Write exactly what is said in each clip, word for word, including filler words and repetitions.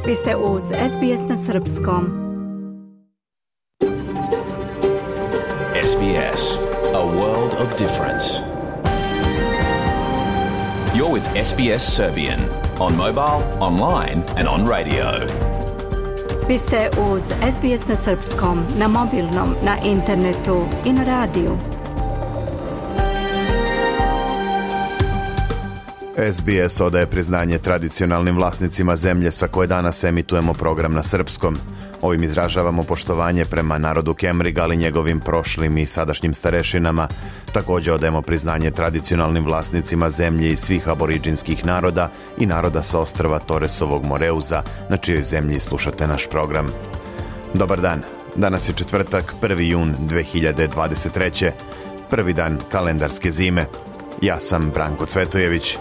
Vi ste uz S B S na srpskom. S B S, a world of difference. You're with S B S Serbian on mobile, online and on radio. Vi ste uz S B S na srpskom, na mobilnom, na internetu i na radiju. S B S odaje priznanje tradicionalnim vlasnicima zemlje sa koje danas emitujemo program na srpskom. Ovim izražavamo poštovanje prema narodu Kemriga, ali njegovim prošlim i sadašnjim starešinama. Također odajemo priznanje tradicionalnim vlasnicima zemlje i svih aboriđinskih naroda i naroda sa ostrva Toresovog Moreuza, na čijoj zemlji slušate naš program. Dobar dan, danas je četvrtak, prvi jun dve hiljade dvadeset treće. Prvi dan kalendarske zime. Ja sam Branko Cvetojević.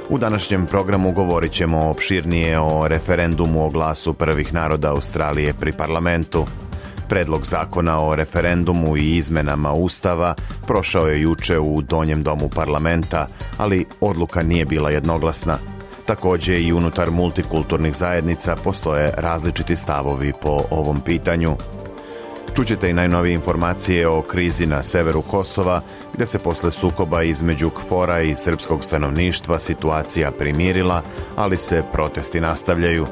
U današnjem programu govorit ćemo opširnije o referendumu o glasu prvih naroda Australije pri parlamentu. Predlog zakona o referendumu i izmenama Ustava prošao je juče u donjem domu parlamenta, ali odluka nije bila jednoglasna. Također i unutar multikulturnih zajednica postoje različiti stavovi po ovom pitanju. Čućete i najnovije informacije o krizi na severu Kosova, gdje se posle sukoba između KFOR-a i srpskog stanovništva situacija primirila, ali se protesti nastavljaju.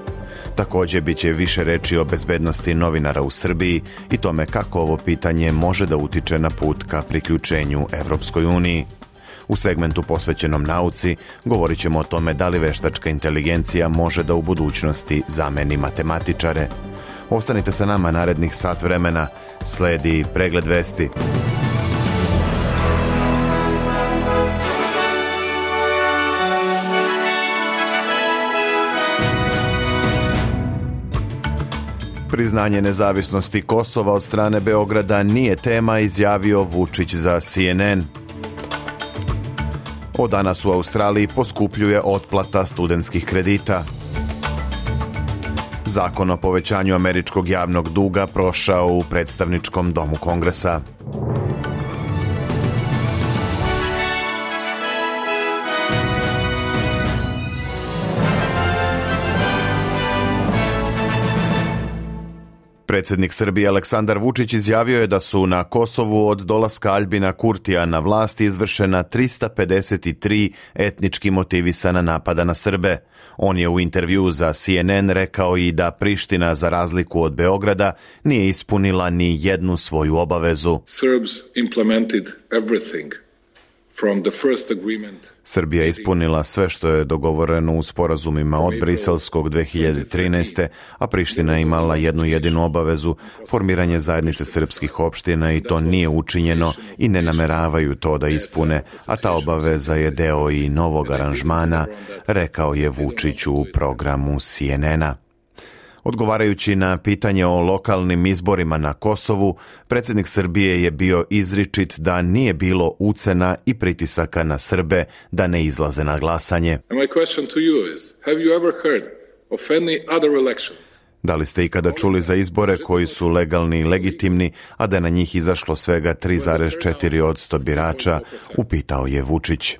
Također bit će više reči o bezbednosti novinara u Srbiji i tome kako ovo pitanje može da utiče na put ka priključenju Evropskoj uniji. U segmentu posvećenom nauci govorit ćemo o tome da li veštačka inteligencija može da u budućnosti zameni matematičare. Ostanite sa nama narednih sat vremena, sledi pregled vesti. Priznanje nezavisnosti Kosova od strane Beograda nije tema, izjavio Vučić za C N N. Od danas u Australiji poskupljuje otplata studentskih kredita. Zakon o povećanju američkog javnog duga prošao u predstavničkom domu Kongresa. Predsjednik Srbije Aleksandar Vučić izjavio je da su na Kosovu od dolaska Aljbina Kurtija na vlast izvršena trista pedeset tri etnički motivisana napada na Srbe. On je u intervjuu za C N N rekao i da Priština, za razliku od Beograda, nije ispunila ni jednu svoju obavezu. Serbs implemented everything. Srbija je ispunila sve što je dogovoreno u sporazumima od Briselskog dve hiljade trinaeste. a Priština je imala jednu jedinu obavezu, formiranje zajednice srpskih opština, i to nije učinjeno i ne nameravaju to da ispune, a ta obaveza je deo i novog aranžmana, rekao je Vučić u programu C N N-a. Odgovarajući na pitanje o lokalnim izborima na Kosovu, predsjednik Srbije je bio izričit da nije bilo ucena i pritisaka na Srbe da ne izlaze na glasanje. Da li ste ikada čuli za izbore koji su legalni i legitimni, a da je na njih izašlo svega tri zarez četiri posto birača, upitao je Vučić.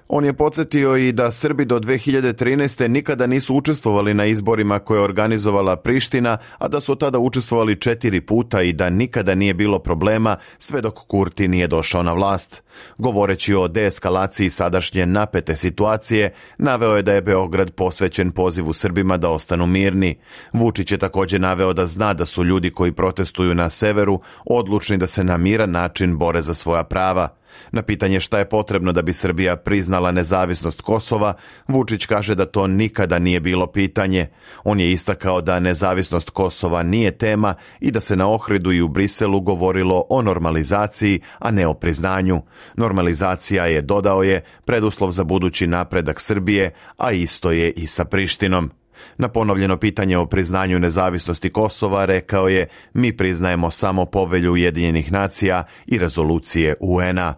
On je podsjetio i da Srbi do dve hiljade trinaeste. nikada nisu učestvovali na izborima koje je organizovala Priština, a da su od tada učestvovali četiri puta i da nikada nije bilo problema sve dok Kurti nije došao na vlast. Govoreći o deeskalaciji sadašnje napete situacije, naveo je da je Beograd posvećen pozivu Srbima da ostanu mirni. Vučić je također naveo da zna da su ljudi koji protestuju na severu odlučni da se na miran način bore za svoja prava. Na pitanje šta je potrebno da bi Srbija priznala nezavisnost Kosova, Vučić kaže da to nikada nije bilo pitanje. On je istakao da nezavisnost Kosova nije tema i da se na Ohridu i u Briselu govorilo o normalizaciji, a ne o priznanju. Normalizacija je, dodao je, preduslov za budući napredak Srbije, a isto je i sa Prištinom. Na ponovljeno pitanje o priznanju nezavisnosti Kosova rekao je: mi priznajemo samo povelju Ujedinjenih nacija i rezolucije U N-a.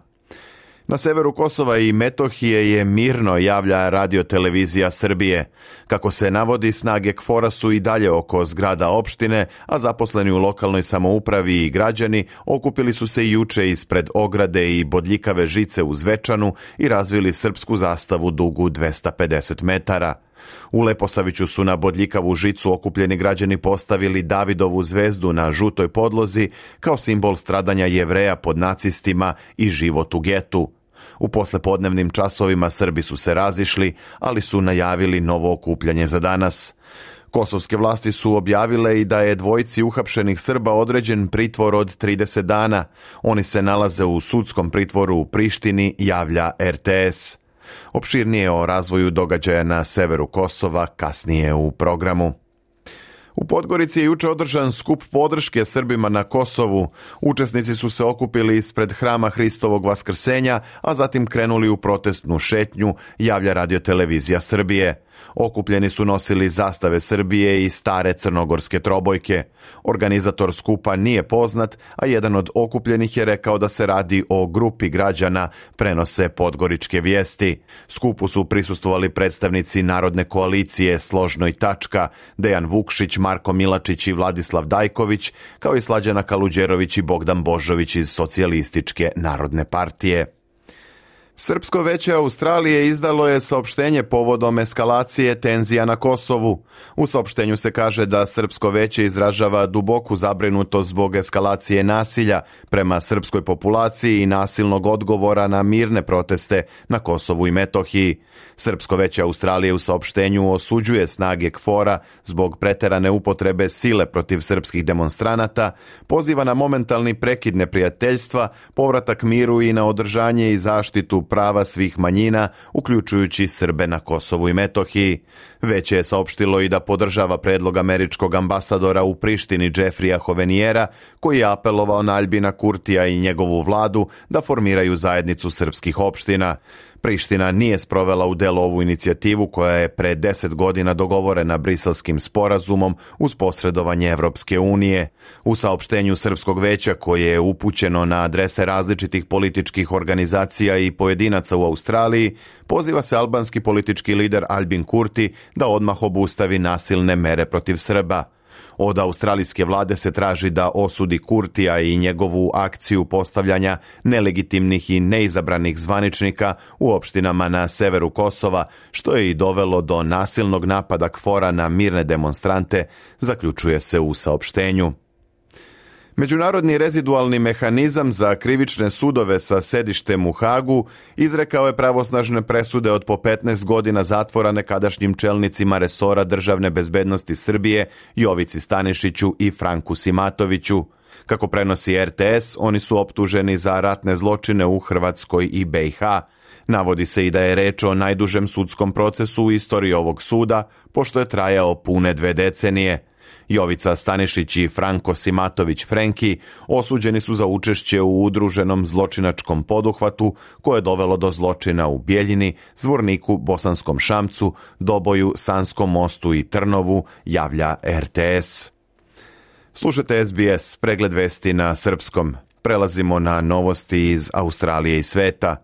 Na severu Kosova i Metohije je mirno, javlja Radio-televizija Srbije. Kako se navodi, snage KFOR-a su i dalje oko zgrada opštine, a zaposleni u lokalnoj samoupravi i građani okupili su se juče ispred ograde i bodljikave žice u Zvečanu i razvili srpsku zastavu dugu dvesta pedeset metara. U Leposaviću su na bodljikavu žicu okupljeni građani postavili Davidovu zvezdu na žutoj podlozi kao simbol stradanja Jevreja pod nacistima i život u getu. U poslepodnevnim časovima Srbi su se razišli, ali su najavili novo okupljanje za danas. Kosovske vlasti su objavile i da je dvojici uhapšenih Srba određen pritvor od trideset dana. Oni se nalaze u sudskom pritvoru u Prištini, javlja er te es. Opširnije o razvoju događaja na severu Kosova kasnije u programu. U Podgorici je juče održan skup podrške Srbima na Kosovu. Učesnici su se okupili ispred Hrama Hristovog Vaskrsenja, a zatim krenuli u protestnu šetnju, javlja Radio-televizija Srbije. Okupljeni su nosili zastave Srbije i stare crnogorske trobojke. Organizator skupa nije poznat, a jedan od okupljenih je rekao da se radi o grupi građana, prenose podgoričke vijesti. Skupu su prisustvovali predstavnici Narodne koalicije Složno i tačka, Dejan Vukšić, Marko Milačić i Vladislav Dajković, kao i Slađana Kaluđerović i Bogdan Božović iz Socijalističke narodne partije. Srpsko veće Australije izdalo je saopštenje povodom eskalacije tenzija na Kosovu. U saopštenju se kaže da Srpsko veće izražava duboku zabrinutost zbog eskalacije nasilja prema srpskoj populaciji i nasilnog odgovora na mirne proteste na Kosovu i Metohiji. Srpsko veće Australije u saopštenju osuđuje snage KFOR-a zbog preterane upotrebe sile protiv srpskih demonstranata, poziva na momentalni prekid neprijateljstva, povratak miru i na održanje i zaštitu prava svih manjina, uključujući Srbe na Kosovu i Metohiji. Veće je saopštilo i da podržava predlog američkog ambasadora u Prištini Jeffreya Hoveniera, koji je apelovao na Aljbina Kurtija i njegovu vladu da formiraju zajednicu srpskih opština. Priština nije sprovela u delo ovu inicijativu koja je pre deset godina dogovorena Briselskim sporazumom uz posredovanje Evropske unije. U saopštenju Srpskog veća koje je upućeno na adrese različitih političkih organizacija i pojedinaca u Australiji, poziva se albanski politički lider Aljbin Kurti da odmah obustavi nasilne mere protiv Srba. Od australijske vlade se traži da osudi Kurtija i njegovu akciju postavljanja nelegitimnih i neizabranih zvaničnika u opštinama na severu Kosova, što je i dovelo do nasilnog napada KFOR-a na mirne demonstrante, zaključuje se u saopštenju. Međunarodni rezidualni mehanizam za krivične sudove sa sedištem u Hagu izrekao je pravosnažne presude od po petnaest godina zatvora nekadašnjim čelnicima resora državne bezbednosti Srbije Jovici Stanišiću i Franku Simatoviću. Kako prenosi er te es, oni su optuženi za ratne zločine u Hrvatskoj i be i ha. Navodi se i da je reč o najdužem sudskom procesu u istoriji ovog suda, pošto je trajao pune dve decenije. Jovica Stanišić i Franko Simatović Frenki osuđeni su za učešće u udruženom zločinačkom poduhvatu koje je dovelo do zločina u Bjeljini, Zvorniku, Bosanskom Šamcu, Doboju, Sanskom mostu i Trnovu, javlja er te es. Slušajte es be es, pregled vesti na srpskom. Prelazimo na novosti iz Australije i sveta.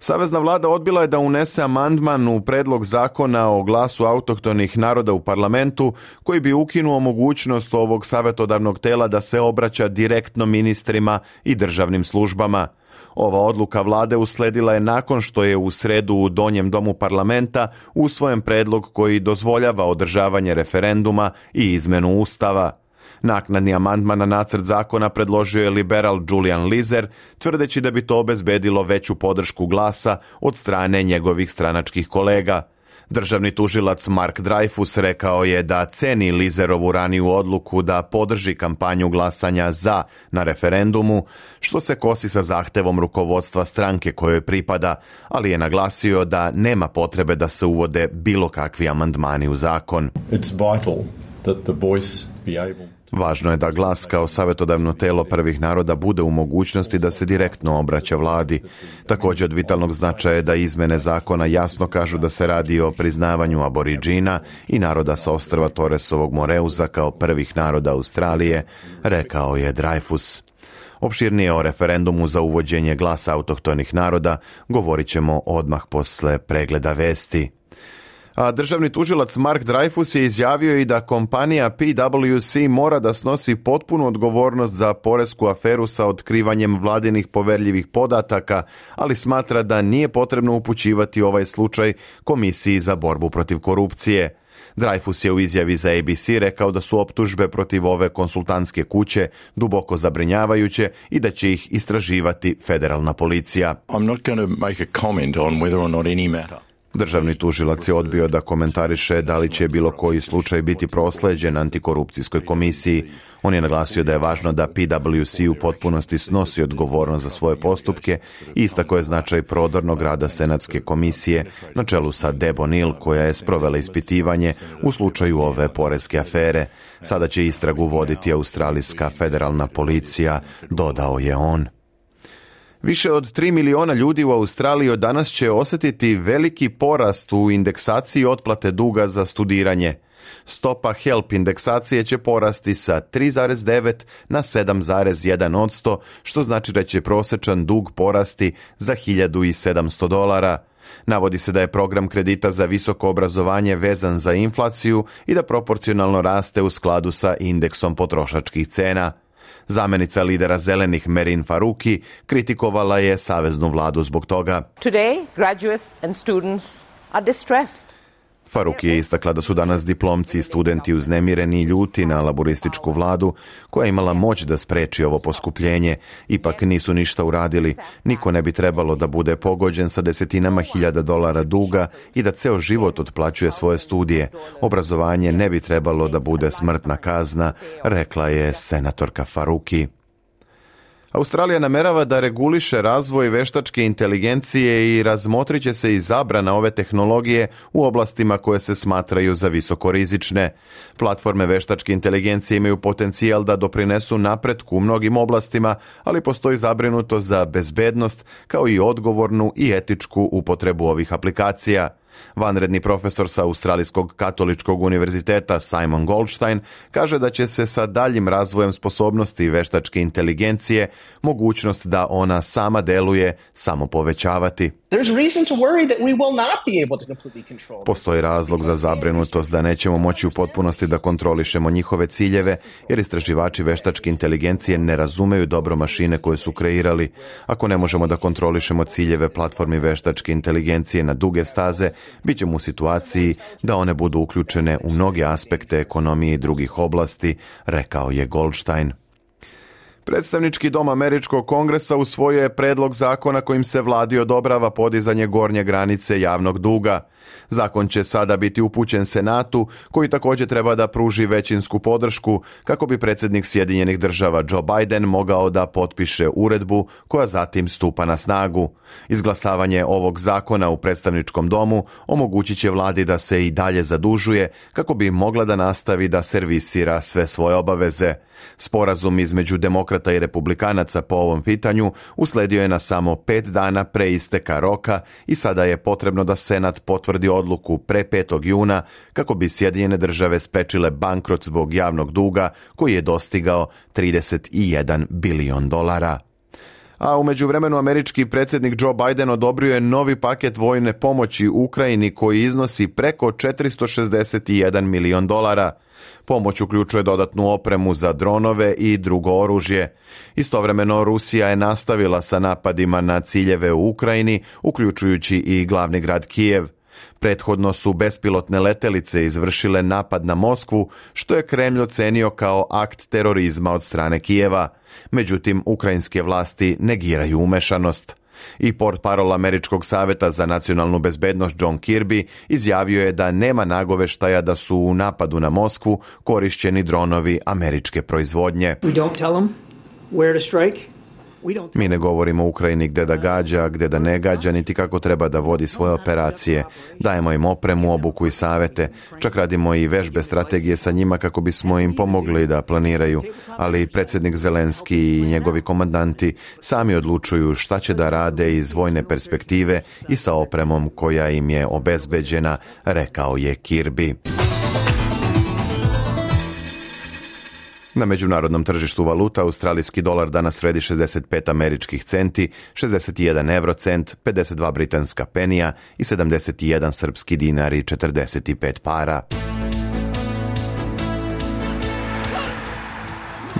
Savezna vlada odbila je da unese amandman u predlog zakona o glasu autohtonih naroda u parlamentu koji bi ukinuo mogućnost ovog savjetodavnog tela da se obraća direktno ministrima i državnim službama. Ova odluka vlade usledila je nakon što je u sredu u Donjem domu parlamenta usvojen predlog koji dozvoljava održavanje referenduma i izmenu ustava. Naknadni amandman na nacrt zakona predložio je liberal Julian Lizer, tvrdeći da bi to obezbedilo veću podršku glasa od strane njegovih stranačkih kolega. Državni tužilac Mark Dreyfus rekao je da ceni Lizerovu raniju odluku da podrži kampanju glasanja za na referendumu, što se kosi sa zahtevom rukovodstva stranke kojoj pripada, ali je naglasio da nema potrebe da se uvode bilo kakvi amandmani u zakon. It's vital that the voice be able... Važno je da glas kao savjetodavno telo prvih naroda bude u mogućnosti da se direktno obraća vladi. Također od vitalnog značaja je da izmene zakona jasno kažu da se radi o priznavanju aboriđina i naroda sa ostrva Torresovog Moreuza kao prvih naroda Australije, rekao je Dreyfus. Opširnije o referendumu za uvođenje glasa autohtonih naroda govorit ćemo odmah posle pregleda vesti. A državni tužilac Mark Dreyfus je izjavio i da kompanija P W C mora da snosi potpunu odgovornost za poresku aferu sa otkrivanjem vladinih poverljivih podataka, ali smatra da nije potrebno upućivati ovaj slučaj Komisiji za borbu protiv korupcije. Dreyfus je u izjavi za A B C rekao da su optužbe protiv ove konsultantske kuće duboko zabrinjavajuće i da će ih istraživati federalna policija. I'm not going to make a comment on whether or not any matter. Državni tužilac je odbio da komentariše da li će bilo koji slučaj biti prosleđen antikorupcijskoj komisiji. On je naglasio da je važno da P W C u potpunosti snosi odgovornost za svoje postupke i istakao je značaj prodornog rada Senatske komisije na čelu sa Deb O'Neill, koja je sprovela ispitivanje u slučaju ove poreske afere. Sada će istragu voditi australijska federalna policija, dodao je on. Više od tri miliona ljudi u Australiji od danas će osjetiti veliki porast u indeksaciji otplate duga za studiranje. Stopa HELP indeksacije će porasti sa tri zarez devet na sedam zarez jedan posto, što znači da će prosječan dug porasti za hiljadu sedamsto dolara. Navodi se da je program kredita za visoko obrazovanje vezan za inflaciju i da proporcionalno raste u skladu sa indeksom potrošačkih cena. Zamenica lidera zelenih Merin Faruqi kritikovala je saveznu vladu zbog toga. Today, graduates and students are distressed. Faruqi je istakla da su danas diplomci i studenti uznemireni i ljuti na laborističku vladu koja je imala moć da spreči ovo poskupljenje. Ipak nisu ništa uradili. Niko ne bi trebalo da bude pogođen sa desetinama hiljada dolara duga i da ceo život otplaćuje svoje studije. Obrazovanje ne bi trebalo da bude smrtna kazna, rekla je senatorka Faruqi. Australija namerava da reguliše razvoj veštačke inteligencije i razmotrit će se i zabrana ove tehnologije u oblastima koje se smatraju za visokorizične. Platforme veštačke inteligencije imaju potencijal da doprinesu napretku u mnogim oblastima, ali postoji zabrinutost za bezbednost kao i odgovornu i etičku upotrebu ovih aplikacija. Vanredni profesor sa Australijskog katoličkog univerziteta Simon Goldstein kaže da će se sa daljim razvojem sposobnosti veštačke inteligencije mogućnost da ona sama deluje samo povećavati. Postoji razlog za zabrinutost da nećemo moći u potpunosti da kontrolišemo njihove ciljeve, jer istraživači veštačke inteligencije ne razumeju dobro mašine koje su kreirali. Ako ne možemo da kontrolišemo ciljeve platformi veštačke inteligencije na duge staze, bit ćemo u situaciji da one budu uključene u mnoge aspekte ekonomije i drugih oblasti, rekao je Goldstein. Predstavnički dom Američkog kongresa usvojio je predlog zakona kojim se vladi odobrava podizanje gornje granice javnog duga. Zakon će sada biti upućen Senatu, koji također treba da pruži većinsku podršku kako bi predsjednik Sjedinjenih država Joe Biden mogao da potpiše uredbu koja zatim stupa na snagu. Izglasavanje ovog zakona u predstavničkom domu omogućit će vladi da se i dalje zadužuje kako bi mogla da nastavi da servisira sve svoje obaveze. Sporazum između demokrata i republikanaca po ovom pitanju usledio je na samo pet dana pre isteka roka i sada je potrebno da Senat potvrdi odluku pre petog juna kako bi Sjedinjene države sprečile bankrot zbog javnog duga koji je dostigao trideset jedan bilion dolara. A u međuvremenu američki predsjednik Joe Biden odobrio je novi paket vojne pomoći Ukrajini koji iznosi preko četiristo šezdeset jedan milion dolara. Pomoć uključuje dodatnu opremu za dronove i drugo oružje. Istovremeno Rusija je nastavila sa napadima na ciljeve u Ukrajini, uključujući i glavni grad Kijev. Prethodno su bespilotne letelice izvršile napad na Moskvu, što je Kremlj ocenio kao akt terorizma od strane Kijeva. Međutim, ukrajinske vlasti negiraju umešanost. I portparol Američkog saveta za nacionalnu bezbednost John Kirby izjavio je da nema nagoveštaja da su u napadu na Moskvu korišćeni dronovi američke proizvodnje. We don't tell them where to strike. Mi ne govorimo Ukrajini gde da gađa, gde da ne gađa, niti kako treba da vodi svoje operacije. Dajemo im opremu, obuku i savete. Čak radimo i vežbe strategije sa njima kako bismo im pomogli da planiraju. Ali predsjednik Zelenski i njegovi komandanti sami odlučuju šta će da rade iz vojne perspektive i sa opremom koja im je obezbeđena, rekao je Kirby. Na međunarodnom tržištu valuta australijski dolar danas vredi šezdeset pet američkih centi, šezdeset jedan eurocent, pedeset dva britanska penija i sedamdeset jedan srpski dinar i četrdeset pet para.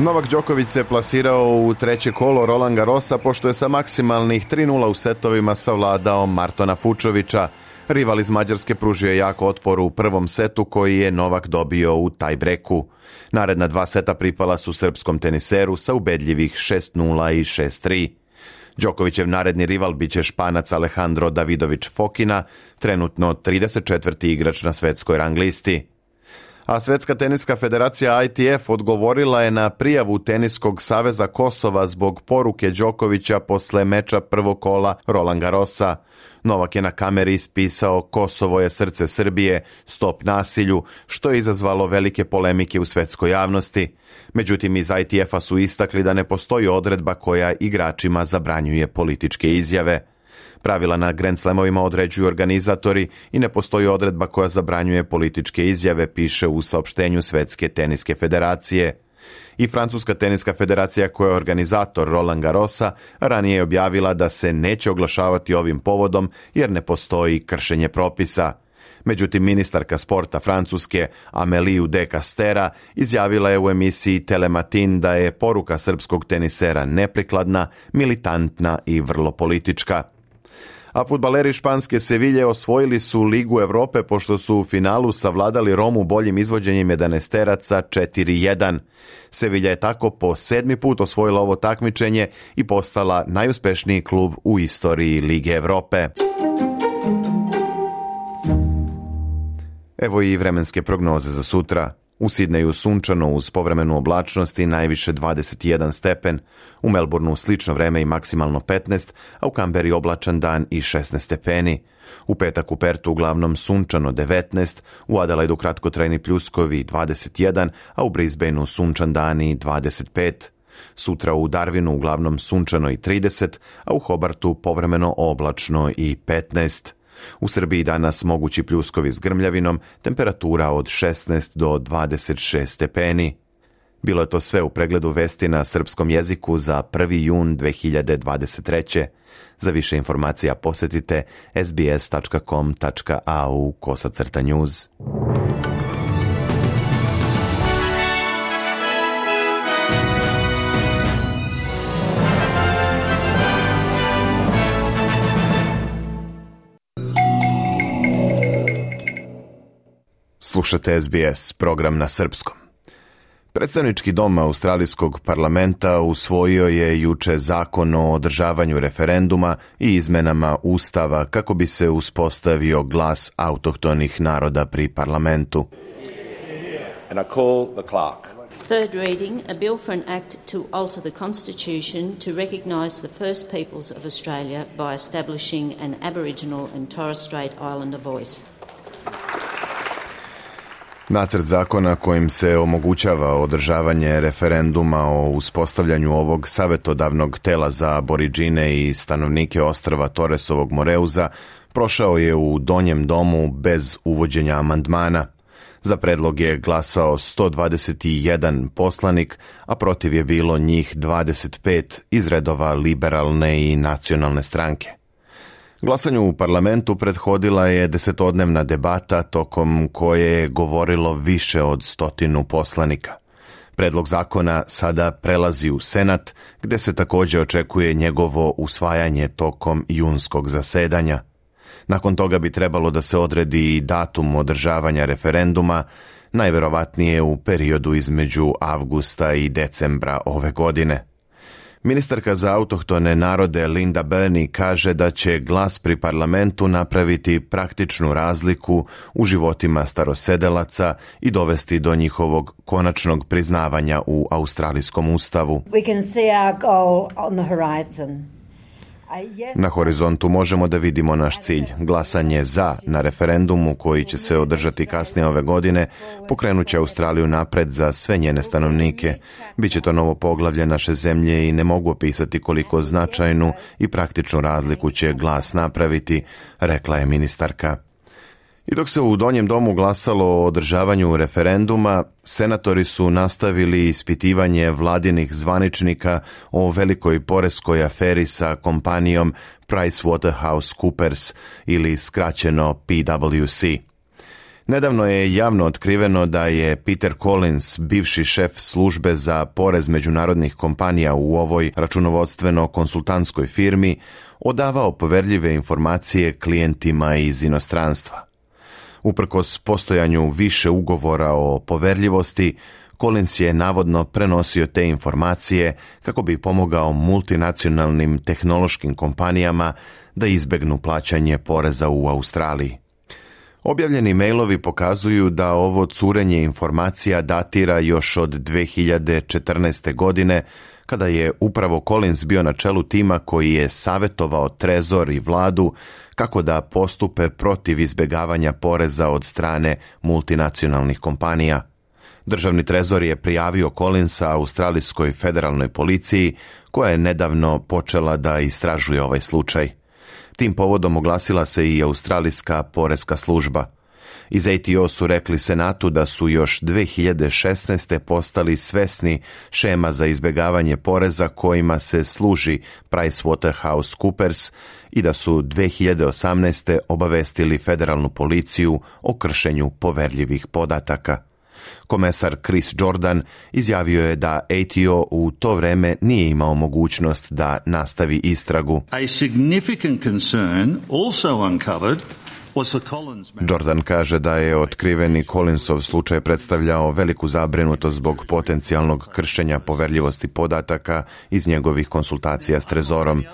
Novak Đoković se plasirao u treće kolo Roland Garrosa pošto je sa maksimalnih tri nula u setovima savladao Martona Fučovića. Rival iz Mađarske pružio je jako otpor u prvom setu koji je Novak dobio u tajbreku. Naredna dva seta pripala su srpskom teniseru sa ubedljivih šest nula i šest tri. Đokovićev naredni rival biće Španac Alejandro Davidović Fokina, trenutno trideset četvrti igrač na svetskoj rang listi. A Svetska teniska federacija I T F odgovorila je na prijavu Teniskog saveza Kosova zbog poruke Đokovića posle meča prvog kola Roland Garrosa. Novak je na kameri ispisao Kosovo je srce Srbije, stop nasilju, što je izazvalo velike polemike u svetskoj javnosti. Međutim, iz I T F-a su istakli da ne postoji odredba koja igračima zabranjuje političke izjave. Pravila na Grand Slamovima određuju organizatori i ne postoji odredba koja zabranjuje političke izjave, piše u saopštenju Svetske teniske federacije. I Francuska teniska federacija, koja je organizator Roland Garrosa, ranije je objavila da se neće oglašavati ovim povodom jer ne postoji kršenje propisa. Međutim, ministarka sporta Francuske Amélie de Castera izjavila je u emisiji Telematin da je poruka srpskog tenisera neprikladna, militantna i vrlo politička. A fudbaleri španske Sevilje osvojili su Ligu Evrope pošto su u finalu savladali Romu boljim izvođenjem jedanaesteraca četiri jedan. Sevilja je tako po sedmi put osvojila ovo takmičenje i postala najuspešniji klub u istoriji Lige Evrope. Evo i vremenske prognoze za sutra. U Sidneju sunčano uz povremenu oblačnost i najviše dvadeset jedan stepen, u Melbourneu slično vreme i maksimalno petnaest, a u Kamberi oblačan dan i šesnaest stepeni. U petak u Pertu uglavnom sunčano devetnaest, u Adelaidu kratkotrajni pljuskovi dvadeset jedan, a u Brisbaneu sunčan dan i dvadeset pet. Sutra u Darwinu uglavnom sunčano i trideset, a u Hobartu povremeno oblačno i petnaest. U Srbiji danas mogući pljuskovi s grmljavinom, temperatura od šesnaest do dvadeset šest stepeni. Bilo je to sve u pregledu vesti na srpskom jeziku za prvi jun dve hiljade dvadeset treće. Za više informacija posetite s b s tačka com tačka a u kosacrta news. Slušate S B S, program na srpskom. Predstavnički dom Australijskog parlamenta usvojio je juče zakon o održavanju referenduma i izmenama Ustava kako bi se uspostavio glas autohtonih naroda pri parlamentu. And I call the clerk. Third reading, a bill for an act to alter the constitution to recognise the first peoples of Australia by establishing an Aboriginal and Torres Strait Islander voice. Nacrt zakona kojim se omogućava održavanje referenduma o uspostavljanju ovog savjetodavnog tela za Aboridžine i stanovnike ostrva Torresovog Moreuza prošao je u donjem domu bez uvođenja amandmana. Za predlog je glasao sto dvadeset jedan poslanik, a protiv je bilo njih dvadeset pet iz redova liberalne i nacionalne stranke. Glasanju u parlamentu prethodila je desetodnevna debata tokom koje je govorilo više od stotinu poslanika. Predlog zakona sada prelazi u Senat, gde se također očekuje njegovo usvajanje tokom junskog zasedanja. Nakon toga bi trebalo da se odredi i datum održavanja referenduma, najverovatnije u periodu između avgusta i decembra ove godine. Ministarka za autohtone narode Linda Burney kaže da će glas pri parlamentu napraviti praktičnu razliku u životima starosedelaca i dovesti do njihovog konačnog priznavanja u australijskom ustavu. We can see our goal on the horizon. Na horizontu možemo da vidimo naš cilj. Glasanje za na referendumu koji će se održati kasnije ove godine pokrenut će Australiju napred za sve njene stanovnike. Biće to novo poglavlje naše zemlje i ne mogu opisati koliko značajnu i praktičnu razliku će glas napraviti, rekla je ministarka. I dok se u Donjem domu glasalo o održavanju referenduma, senatori su nastavili ispitivanje vladinih zvaničnika o velikoj poreskoj aferi sa kompanijom PricewaterhouseCoopers ili skraćeno P W C. Nedavno je javno otkriveno da je Peter Collins, bivši šef službe za porez međunarodnih kompanija u ovoj računovodstveno-konsultantskoj firmi, odavao poverljive informacije klijentima iz inostranstva. Uprkos postojanju više ugovora o poverljivosti, Collins je navodno prenosio te informacije kako bi pomogao multinacionalnim tehnološkim kompanijama da izbegnu plaćanje poreza u Australiji. Objavljeni mailovi pokazuju da ovo curenje informacija datira još od dve hiljade četrnaeste. godine, kada je upravo Collins bio na čelu tima koji je savjetovao Trezor i vladu kako da postupe protiv izbjegavanja poreza od strane multinacionalnih kompanija. Državni trezor je prijavio Collinsa australijskoj federalnoj policiji, koja je nedavno počela da istražuje ovaj slučaj. Tim povodom oglasila se i australijska poreska služba. Iz A T O su rekli Senatu da su još dve hiljade šesnaeste. postali svesni šema za izbjegavanje poreza kojima se služi PricewaterhouseCoopers i da su dve hiljade osamnaeste. obavestili federalnu policiju o kršenju poverljivih podataka. Komesar Chris Jordan izjavio je da A T O u to vreme nije imao mogućnost da nastavi istragu. A significant concern also uncovered Jordan kaže da je otkriveni Collinsov slučaj predstavljao veliku zabrinutost zbog potencijalnog kršenja poverljivosti podataka iz njegovih konsultacija s Trezorom.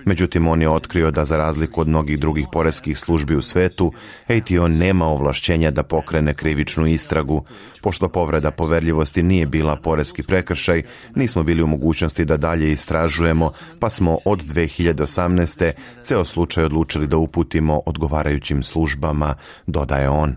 Međutim, on je otkrio da za razliku od mnogih drugih poreskih službi u svetu, A T O nema ovlašćenja da pokrene krivičnu istragu. Pošto povreda poverljivosti nije bila poreski prekršaj, nismo bili u mogućnosti da dalje istražujemo, pa smo od dve hiljade osamnaeste. ceo slučaj odlučili da uputimo odgovarajućim službama, dodaje on.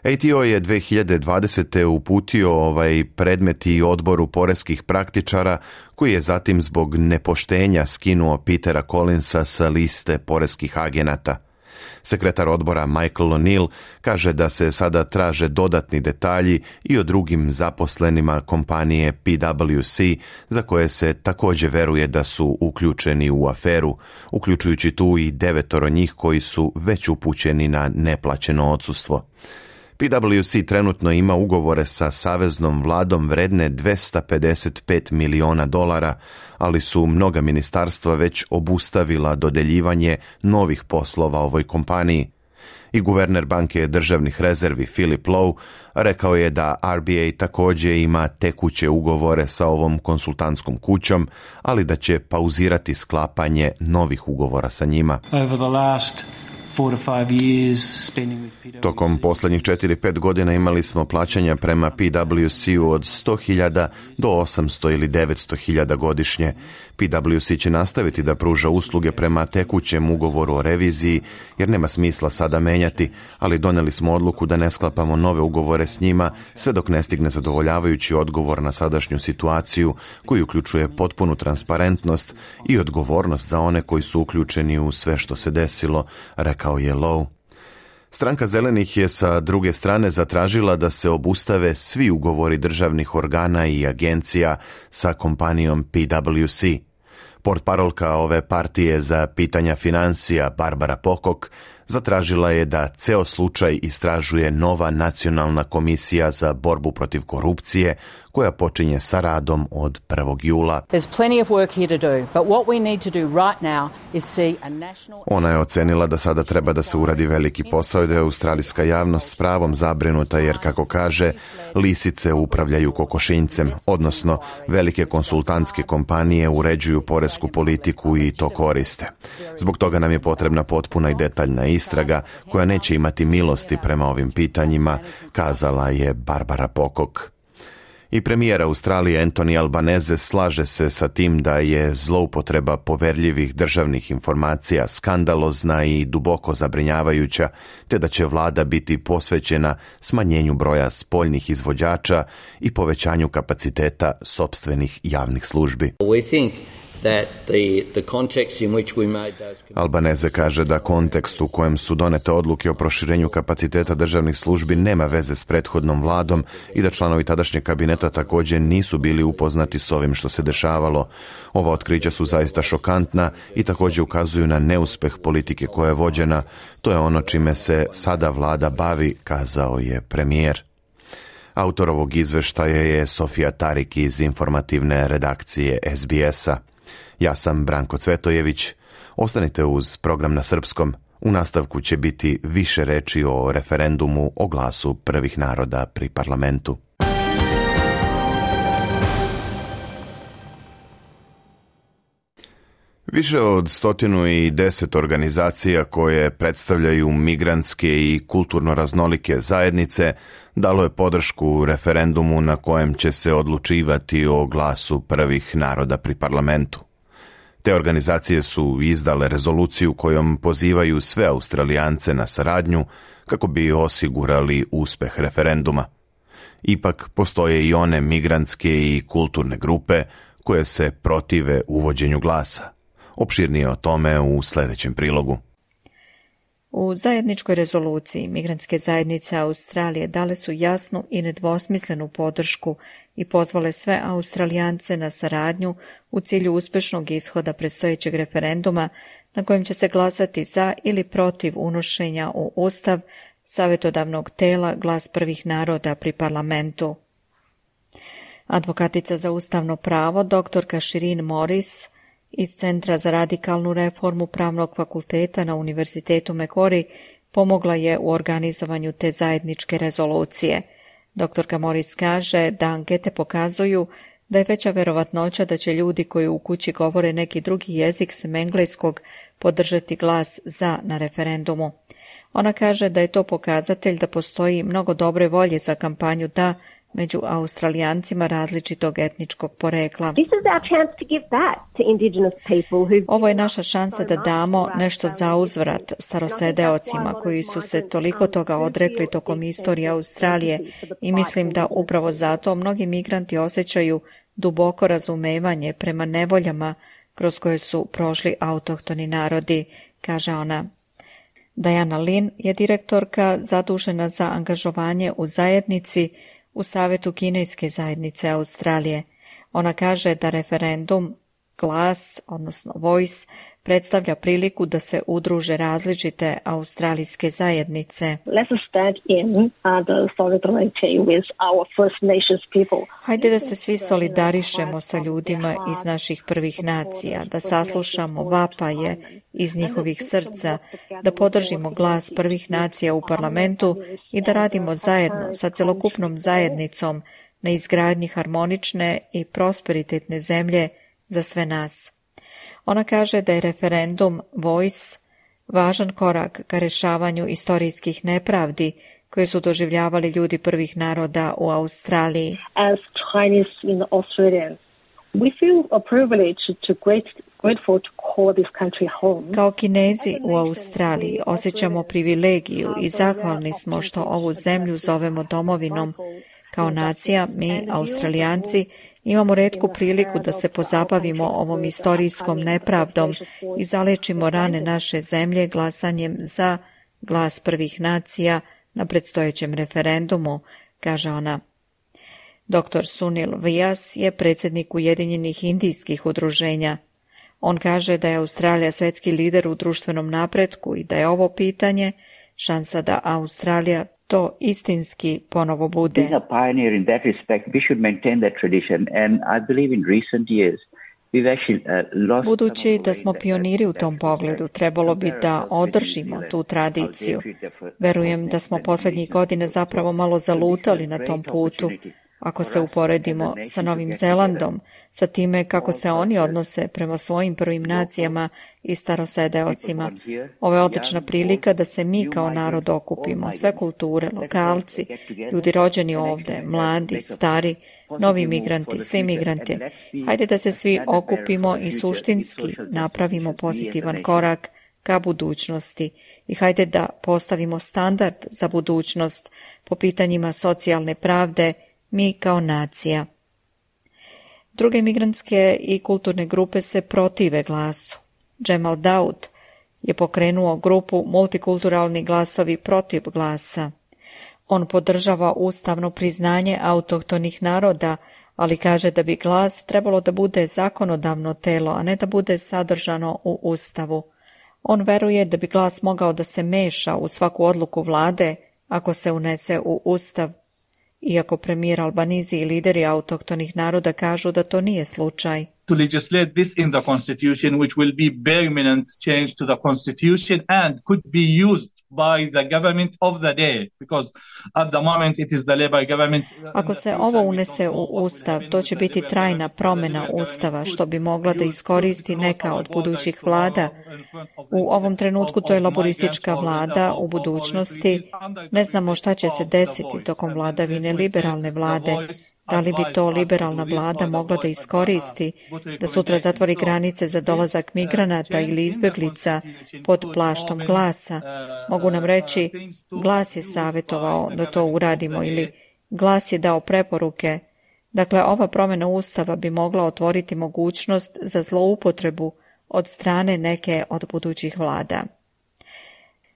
A T O je dve hiljade dvadesete. uputio ovaj predmet i odboru poreskih praktičara, koji je zatim zbog nepoštenja skinuo Petera Collinsa sa liste poreskih agenata. Sekretar odbora Michael O'Neill kaže da se sada traže dodatni detalji i o drugim zaposlenima kompanije P W C, za koje se također veruje da su uključeni u aferu, uključujući tu i devetoro njih koji su već upućeni na neplaćeno odsustvo. P W C trenutno ima ugovore sa saveznom vladom vredne dvesta pedeset pet miliona dolara, ali su mnoga ministarstva već obustavila dodeljivanje novih poslova ovoj kompaniji. I guverner banke državnih rezervi Philip Lowe rekao je da R B A također ima tekuće ugovore sa ovom konsultantskom kućom, ali da će pauzirati sklapanje novih ugovora sa njima. Over the last Tokom posljednjih četiri do pet godina imali smo plaćanja prema P W C-u od sto hiljada do osamsto ili devetsto hiljada godišnje. P W C će nastaviti da pruža usluge prema tekućem ugovoru o reviziji, jer nema smisla sada menjati, ali doneli smo odluku da ne sklapamo nove ugovore s njima sve dok ne stigne zadovoljavajući odgovor na sadašnju situaciju, koji uključuje potpunu transparentnost i odgovornost za one koji su uključeni u sve što se desilo, rekao je Lowe. Stranka zelenih je sa druge strane zatražila da se obustave svi ugovori državnih organa i agencija sa kompanijom P W C. Portparolka ove partije za pitanja financija Barbara Pocock zatražila je da ceo slučaj istražuje nova nacionalna komisija za borbu protiv korupcije, koja počinje sa radom od prvog jula. Ona je ocenila da sada treba da se uradi veliki posao i da je australijska javnost s pravom zabrinuta, jer, kako kaže, lisice upravljaju kokošinjcem, odnosno velike konsultantske kompanije uređuju poresku politiku i to koriste. Zbog toga nam je potrebna potpuna i detaljna istraga koja neće imati milosti prema ovim pitanjima, kazala je Barbara Pocock. I premijer Australije Anthony Albanese slaže se sa tim da je zloupotreba poverljivih državnih informacija skandalozna i duboko zabrinjavajuća, te da će vlada biti posvećena smanjenju broja spoljnih izvođača i povećanju kapaciteta sopstvenih javnih službi. We think Albanese kaže da kontekst u kojem su donete odluke o proširenju kapaciteta državnih službi nema veze s prethodnom vladom i da članovi tadašnjeg kabineta također nisu bili upoznati s ovim što se dešavalo. Ova otkrića su zaista šokantna i također ukazuju na neuspeh politike koja je vođena. To je ono čime se sada vlada bavi, kazao je premijer. Autor ovog izveštaja je Sofija Tarik iz informativne redakcije S B S-a. Ja sam Branko Cvetojević. Ostanite uz program na srpskom. U nastavku će biti više reči o referendumu o glasu prvih naroda pri parlamentu. Više od stotinu i deset organizacija koje predstavljaju migrantske i kulturno raznolike zajednice dalo je podršku referendumu na kojem će se odlučivati o glasu prvih naroda pri parlamentu. Te organizacije su izdale rezoluciju kojom pozivaju sve Australijance na saradnju kako bi osigurali uspeh referenduma. Ipak postoje i one migrantske i kulturne grupe koje se protive uvođenju glasa. Opširnije o tome u sljedećem prilogu. U zajedničkoj rezoluciji migrantske zajednice Australije dale su jasnu i nedvosmislenu podršku i pozvale sve Australijance na saradnju u cilju uspešnog ishoda predstojećeg referenduma na kojem će se glasati za ili protiv unošenja u Ustav savjetodavnog tela glas prvih naroda pri parlamentu. Advokatica za ustavno pravo, doktorka Shirin Morris, iz Centra za radikalnu reformu Pravnog fakulteta na Univerzitetu Macquarie pomogla je u organizovanju te zajedničke rezolucije. Doktorka Morris kaže da ankete pokazuju da je veća verovatnoća da će ljudi koji u kući govore neki drugi jezik sem engleskog podržati glas za na referendumu. Ona kaže da je to pokazatelj da postoji mnogo dobre volje za kampanju da među Australijancima različitog etničkog porekla. Ovo je naša šansa da damo nešto za uzvrat starosedeocima koji su se toliko toga odrekli tokom istorije Australije i mislim da upravo zato mnogi migranti osjećaju duboko razumevanje prema nevoljama kroz koje su prošli autohtoni narodi, kaže ona. Diana Lin je direktorka zadužena za angažovanje u zajednici u Savjetu kineske zajednice Australije. Ona kaže da referendum, glas, odnosno voice, predstavlja priliku da se udruže različite australijske zajednice. Hajde da se svi solidarišemo sa ljudima iz naših prvih nacija, da saslušamo vapaje iz njihovih srca, da podržimo glas prvih nacija u parlamentu i da radimo zajedno sa celokupnom zajednicom na izgradnji harmonične i prosperitetne zemlje za sve nas. Ona kaže da je referendum Voice važan korak ka rešavanju istorijskih nepravdi koje su doživljavali ljudi prvih naroda u Australiji. As Chinese in Australia, we feel a privilege to great, grateful to call this country home. Kao Kinezi u Australiji osjećamo privilegiju i zahvalni smo što ovu zemlju zovemo domovinom. Kao nacija, mi, Australijanci, imamo retku priliku da se pozabavimo ovom istorijskom nepravdom i zalečimo rane naše zemlje glasanjem za glas prvih nacija na predstojećem referendumu, kaže ona. doktor Sunil Vyas je predsjednik Ujedinjenih indijskih udruženja. On kaže da je Australija svetski lider u društvenom napretku i da je ovo pitanje šansa da Australija to istinski ponovo bude. Budući da smo pioniri u tom pogledu, trebalo bi da održimo tu tradiciju. Verujem da smo posljednjih godina zapravo malo zalutali na tom putu. Ako se uporedimo sa Novim Zelandom, sa time kako se oni odnose prema svojim prvim nacijama i starosedeocima. Ovo je odlična prilika da se mi kao narod okupimo, sve kulture, lokalci, ljudi rođeni ovde, mladi, stari, novi migranti, svi migranti. Hajde da se svi okupimo i suštinski napravimo pozitivan korak ka budućnosti i hajde da postavimo standard za budućnost po pitanjima socijalne pravde, mi kao nacija. Druge migrantske i kulturne grupe se protive glasu. Jamal Daud je pokrenuo grupu Multikulturalni glasovi protiv glasa. On podržava ustavno priznanje autohtonih naroda, ali kaže da bi glas trebalo da bude zakonodavno telo, a ne da bude sadržano u Ustavu. On veruje da bi glas mogao da se meša u svaku odluku vlade ako se unese u Ustav, iako premijer Albanizi i lideri autohtonih naroda kažu da to nije slučaj. To legislate this in the constitution, which will be permanent change to the constitution and could be used by the government of the day, because at the moment it is the Labour government. Ako se ovo unese u Ustav, to će biti trajna promjena Ustava, što bi mogla da iskoristi neka od budućih vlada. U ovom trenutku to je laboristička vlada, u budućnosti ne znamo šta će se desiti tokom vladavine liberalne vlade. Da li bi to liberalna vlada mogla da iskoristi, da sutra zatvori granice za dolazak migranata ili izbjeglica pod plaštom glasa? Mogu nam reći, glas je savjetovao da to uradimo ili glas je dao preporuke. Dakle, ova promjena Ustava bi mogla otvoriti mogućnost za zloupotrebu od strane neke od budućih vlada.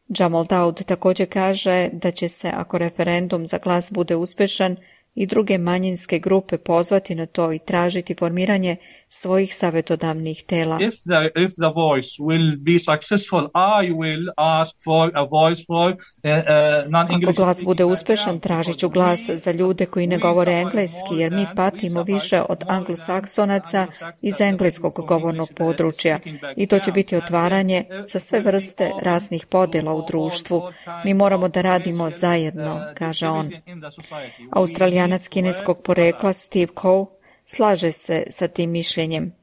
Jamal Daud također kaže da će se, ako referendum za glas bude uspješan, i druge manjinske grupe pozvati na to i tražiti formiranje svojih savjetodavnih tela. If the, if the voice will be successful, I will ask for a voice for uh, uh, non-English. Ako glas bude uspješan, tražit ću glas za ljude koji ne govore engleski, jer mi patimo više od anglosaksonaca iz engleskog govornog područja i to će biti otvaranje za sve vrste rasnih podjela u društvu. Mi moramo da radimo zajedno, kaže on. Australijanac kineskog porekla Steve Coe slaže se sa tim mišljenjem.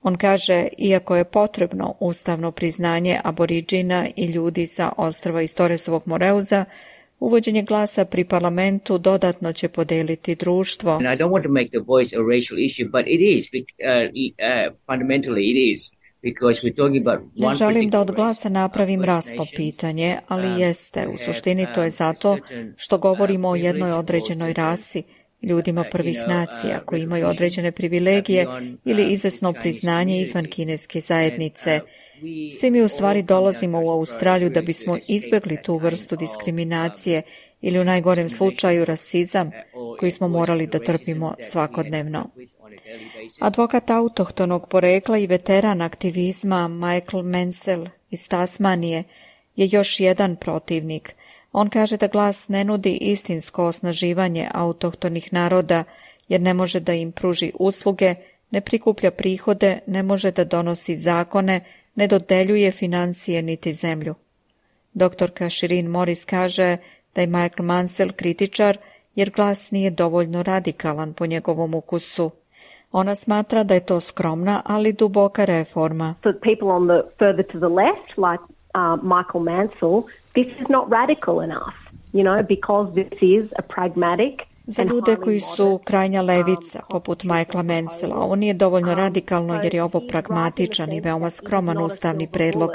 On kaže, iako je potrebno ustavno priznanje aboriđina i ljudi sa ostrva iz Torresovog Moreuza, uvođenje glasa pri parlamentu dodatno će podeliti društvo. I don't want to make the voice a racial issue, but it is, uh, uh, fundamentally it is. Ne želim da od glasa napravim rasno pitanje, ali jeste. U suštini to je zato što govorimo o jednoj određenoj rasi, ljudima prvih nacija koji imaju određene privilegije ili izvesno priznanje izvan kineske zajednice. Svi mi u stvari dolazimo u Australiju da bismo izbjegli tu vrstu diskriminacije ili u najgorem slučaju rasizam koji smo morali da trpimo svakodnevno. Advokat autohtonog porekla i veteran aktivizma Michael Mansell iz Tasmanije je još jedan protivnik. On kaže da glas ne nudi istinsko osnaživanje autohtonih naroda jer ne može da im pruži usluge, ne prikuplja prihode, ne može da donosi zakone, ne dodeljuje financije niti zemlju. Doktorka Shireen Morris kaže da je Michael Mansell kritičar jer glas nije dovoljno radikalan po njegovom ukusu. Ona smatra da je to skromna, ali duboka reforma. For people on the further to the left, like uh, Michael Mansell, this is not radical enough, you know, because this is a pragmatic. Za ljude koji su krajnja levica, poput Michaela Mansella, ovo nije dovoljno radikalno jer je ovo pragmatičan i veoma skroman ustavni predlog.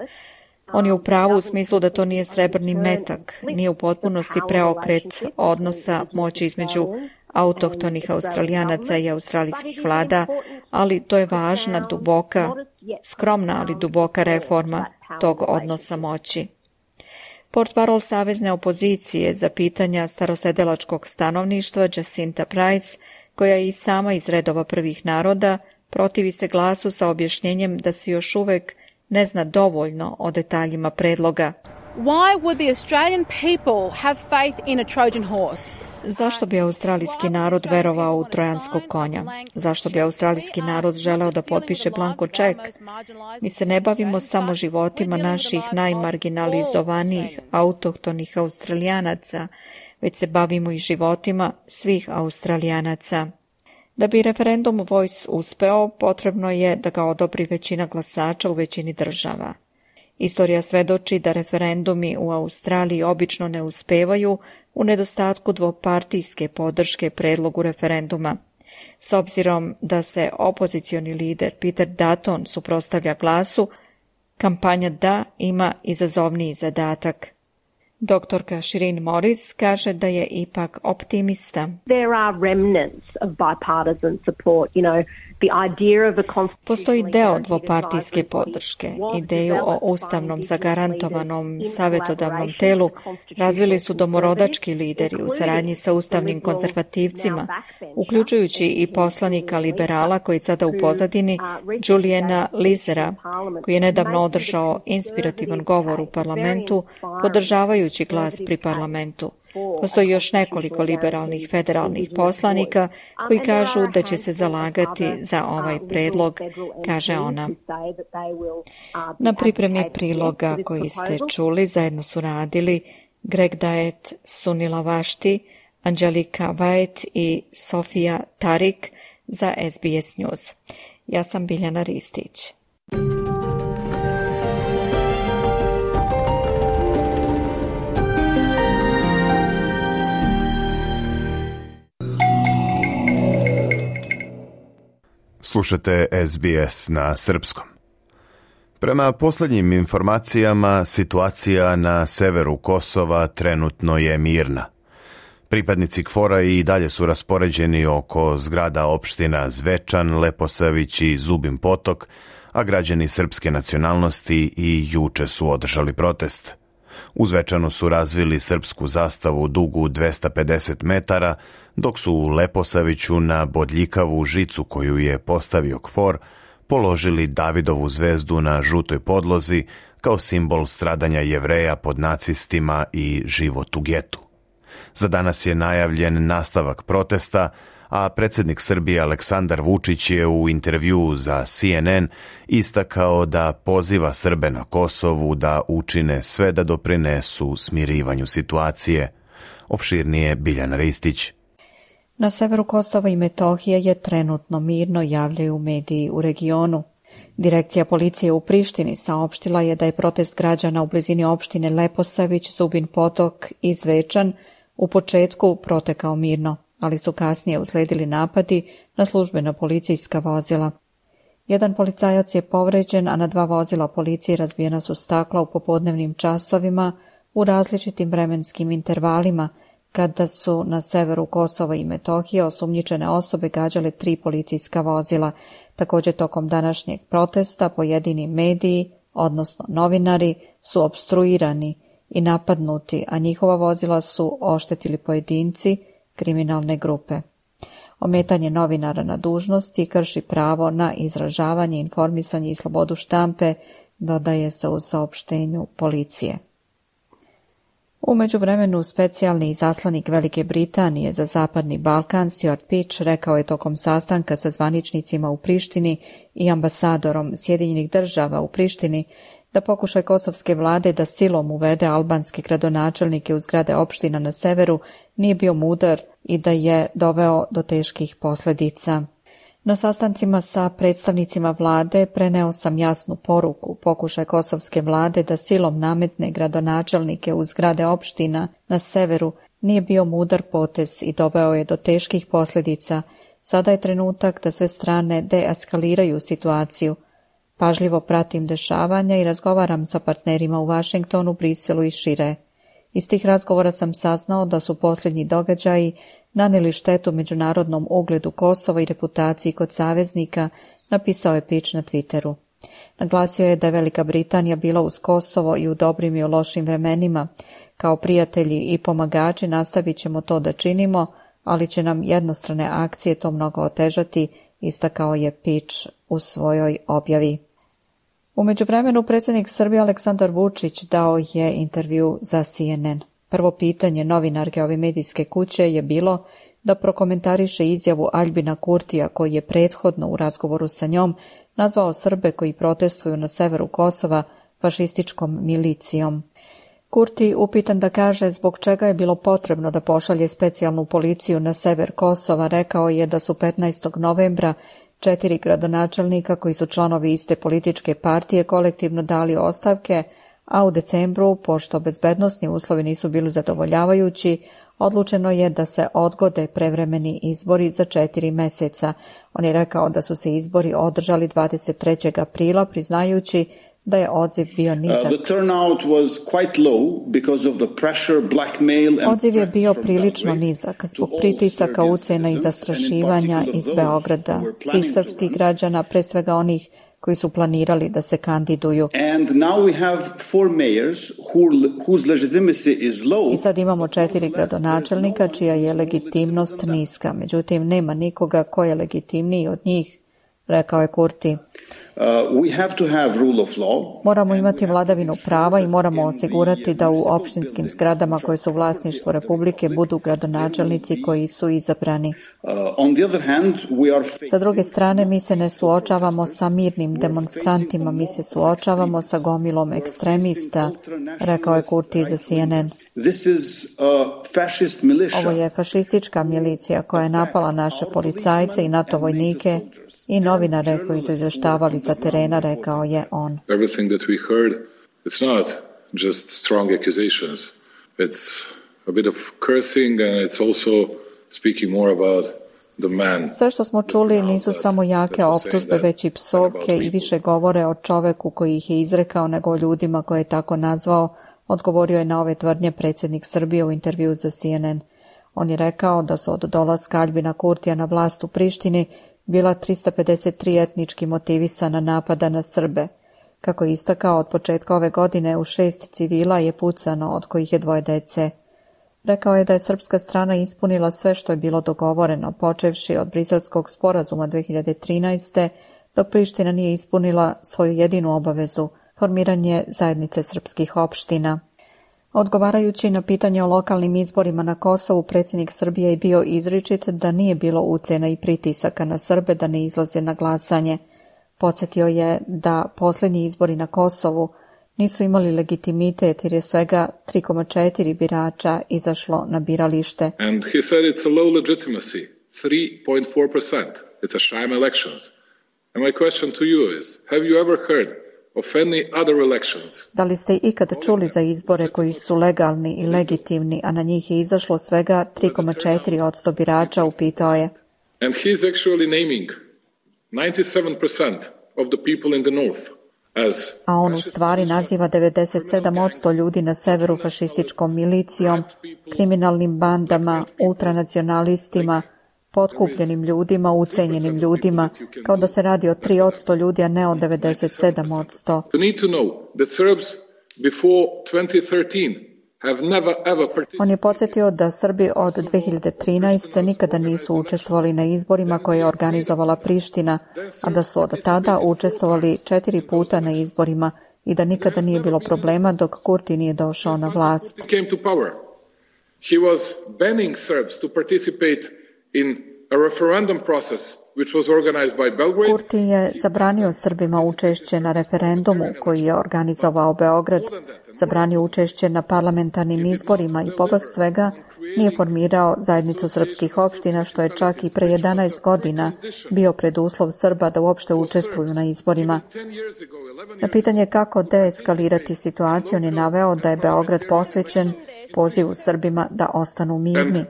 On je u pravu u smislu da to nije srebrni metak, nije u potpunosti preokret odnosa moći između autohtonih Australijanaca i australijskih vlada, ali to je važna, duboka, skromna, ali duboka reforma tog odnosa moći. Portparol savezne opozicije za pitanja starosedelačkog stanovništva Jacinta Price, koja je i sama iz redova prvih naroda, protivi se glasu sa objašnjenjem da se još uvek ne zna dovoljno o detaljima predloga. Why would the Australian people have faith in a Trojan horse? Zašto bi australijski narod verovao u trojanskog konja? Zašto bi australijski narod želeo da potpiše blanko ček? Mi se ne bavimo samo životima naših najmarginalizovanijih autohtonih Australijanaca, već se bavimo i životima svih Australijanaca. Da bi referendum Voice uspeo, potrebno je da ga odobri većina glasača u većini država. Istorija svedoči da referendumi u Australiji obično ne uspevaju u nedostatku dvopartijske podrške predlogu referenduma. S obzirom da se opozicioni lider Peter Dutton suprotstavlja glasu, kampanja Da ima izazovniji zadatak. Doktorka Shireen Morris kaže da je ipak optimista. There are remnants of bipartisan support, you know, Postoji deo dvopartijske podrške. Ideju o ustavnom zagarantovanom savjetodavnom telu razvili su domorodački lideri u saradnji sa ustavnim konzervativcima, uključujući i poslanika liberala koji sada u pozadini, Juliana Lizera, koji je nedavno održao inspirativan govor u parlamentu, podržavajući glas pri parlamentu. Postoji još nekoliko liberalnih federalnih poslanika koji kažu da će se zalagati za ovaj predlog, kaže ona. Na pripremi priloga koji ste čuli zajedno su radili Greg Daet, Sunila Vašti, Angelika White i Sofija Tarik za S B S News. Ja sam Biljana Ristić. Slušate S B S na srpskom. Prema posljednjim informacijama, situacija na severu Kosova trenutno je mirna. Pripadnici KFOR-a i dalje su raspoređeni oko zgrada opština Zvečan, Leposavić i Zubin Potok, a građani srpske nacionalnosti i juče su održali protest. U Zvečanu su razvili srpsku zastavu dugu dvesta pedeset metara, dok su u Leposaviću na bodljikavu žicu koju je postavio KFOR položili Davidovu zvezdu na žutoj podlozi kao simbol stradanja Jevreja pod nacistima i život u getu. Za danas je najavljen nastavak protesta, a predsjednik Srbije Aleksandar Vučić je u intervjuu za C N N istakao da poziva Srbe na Kosovu da učine sve da doprinesu smirivanju situacije. Opširnije Biljana Ristić. Na severu Kosova i Metohije je trenutno mirno, javljaju mediji u regionu. Direkcija policije u Prištini saopštila je da je protest građana u blizini opštine Leposavić, Zubin Potok i Zvečan u početku protekao mirno, ali su kasnije usledili napadi na službena policijska vozila. Jedan policajac je povređen, a na dva vozila policije razbijena su stakla u popodnevnim časovima u različitim vremenskim intervalima, kada su na severu Kosova i Metohije osumnjičene osobe gađale tri policijska vozila. Također tokom današnjeg protesta pojedini mediji, odnosno novinari, su opstruirani i napadnuti, a njihova vozila su oštetili pojedinci, kriminalne grupe. Ometanje novinara na dužnosti krši pravo na izražavanje, informisanje i slobodu štampe, dodaje se u saopštenju policije. U međuvremenu specijalni izaslanik Velike Britanije za Zapadni Balkan Stuart Peach rekao je tokom sastanka sa zvaničnicima u Prištini i ambasadorom Sjedinjenih država u Prištini da pokušaj kosovske vlade da silom uvede albanske gradonačelnike u zgrade opština na severu nije bio mudar i da je doveo do teških posljedica. Na sastancima sa predstavnicima vlade preneo sam jasnu poruku. Pokušaj kosovske vlade da silom nametne gradonačelnike u zgrade opština na severu nije bio mudar potez i doveo je do teških posljedica. Sada je trenutak da sve strane deeskaliraju situaciju. Pažljivo pratim dešavanja i razgovaram sa partnerima u Vašingtonu, Briselu i šire. Iz tih razgovora sam saznao da su posljednji događaji nanijeli štetu međunarodnom ugledu Kosova i reputaciji kod saveznika, napisao je Peach na Twitteru. Naglasio je da je Velika Britanija bila uz Kosovo i u dobrim i u lošim vremenima. Kao prijatelji i pomagači nastavit ćemo to da činimo, ali će nam jednostrane akcije to mnogo otežati, istakao je Peach u svojoj objavi. U međuvremenu predsjednik Srbije Aleksandar Vučić dao je intervju za C N N. Prvo pitanje novinarke ove medijske kuće je bilo da prokomentariše izjavu Aljbina Kurtija koji je prethodno u razgovoru sa njom nazvao Srbe koji protestuju na severu Kosova fašističkom milicijom. Kurti, upitan da kaže zbog čega je bilo potrebno da pošalje specijalnu policiju na sever Kosova, rekao je da su petnaestog novembra četiri gradonačelnika koji su članovi iste političke partije kolektivno dali ostavke, a u decembru, pošto bezbednosni uslovi nisu bili zadovoljavajući, odlučeno je da se odgode prevremeni izbori za četiri meseca. On je rekao da su se izbori održali dvadeset trećeg aprila, priznajući da je odziv bio nizak. Odziv je bio prilično nizak zbog pritisaka, ucjena i zastrašivanja iz Beograda, svih srpskih građana, pre svega onih koji su planirali da se kandiduju. I sad imamo četiri gradonačelnika čija je legitimnost niska. Međutim, nema nikoga ko je legitimniji od njih, rekao je Kurti. Uh, we have to have rule of law. Moramo imati vladavinu prava i moramo osigurati da u opštinskim zgradama koje su vlasništvo Republike budu gradonačelnici koji su izabrani. Uh, on the other hand, we are facing... Sa druge strane, mi se ne suočavamo sa mirnim demonstrantima, mi se suočavamo sa gomilom ekstremista, rekao je Kurti za C N N. This is a fascist militia. Ovo je fašistička milicija koja je napala naše policajce i NATO vojnike i novinare koji su izveštavali sa terena, rekao je on. Everything that we heard, it's not just strong accusations. It's a bit of cursing and it's also speaking more about the man. Sve što smo čuli nisu samo jake optužbe, već i psovke i više govore o čoveku koji ih je izrekao nego o ljudima koje je tako nazvao, odgovorio je na ove tvrdnje predsjednik Srbije u intervju za C N N. On je rekao da su od dolaska Aljbina Kurtija na vlast u Prištini bila trista pedeset tri etnički motivisana napada na Srbe. Kako je istakao, od početka ove godine u šest civila je pucano, od kojih je dvoje dece. Rekao je da je srpska strana ispunila sve što je bilo dogovoreno, počevši od Briselskog sporazuma dve hiljade trinaeste. dok Priština nije ispunila svoju jedinu obavezu, formiranje zajednice srpskih opština. Odgovarajući na pitanje o lokalnim izborima na Kosovu, predsjednik Srbije je bio izričit da nije bilo ucjena i pritisaka na Srbe da ne izlaze na glasanje. Podsjetio je da posljednji izbori na Kosovu nisu imali legitimitet jer je svega tri zarez četiri birača izašlo na biralište. And he said it's a low legitimacy, three point four percent. It's a sham elections. And my question to you is, have you ever heard of any other elections? Da li ste ikad čuli za izbore koji su legalni i legitimni, a na njih je izašlo svega tri zarez četiri posto birača, upitao je. And he's actually naming ninety-seven percent of the people in the north. A on u stvari naziva devedeset sedam posto ljudi na severu fašističkom milicijom, kriminalnim bandama, ultranacionalistima, potkupljenim ljudima, ucenjenim ljudima, kao da se radi o tri posto ljudi, a ne o devedeset sedam posto. On je podsjetio da Srbi od dve hiljade trinaeste. nikada nisu učestvovali na izborima koje je organizovala Priština, a da su od tada učestvovali četiri puta na izborima i da nikada nije bilo problema dok Kurti nije došao na vlast. He was banning Serbs to participate in a referendum process which was organized by Belgrade. Kurti je zabranio Srbima učešće na referendumu koji je organizovao Beograd, zabranio učešće na parlamentarnim izborima i povrh svega nije formirao zajednicu srpskih opština, što je čak i pre jedanaest godina bio preduslov Srba da uopšte učestvuju na izborima. Na pitanje kako deeskalirati situaciju, on je naveo da je Beograd posvećen pozivu Srbima da ostanu mirni.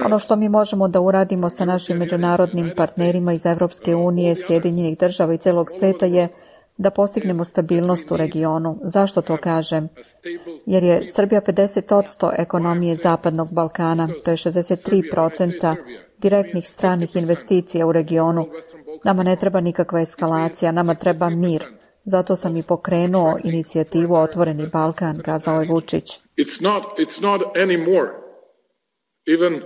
Ono što mi možemo da uradimo sa našim međunarodnim partnerima iz Evropske unije, Sjedinjenih država i celog sveta je da postignemo stabilnost u regionu. Zašto to kažem? Jer je Srbija pedeset posto ekonomije Zapadnog Balkana, to je šezdeset tri posto direktnih stranih investicija u regionu. Nama ne treba nikakva eskalacija, nama treba mir. Zato sam i pokrenuo inicijativu Otvoreni Balkan, kazao je Vučić. It's not, it's not anymore even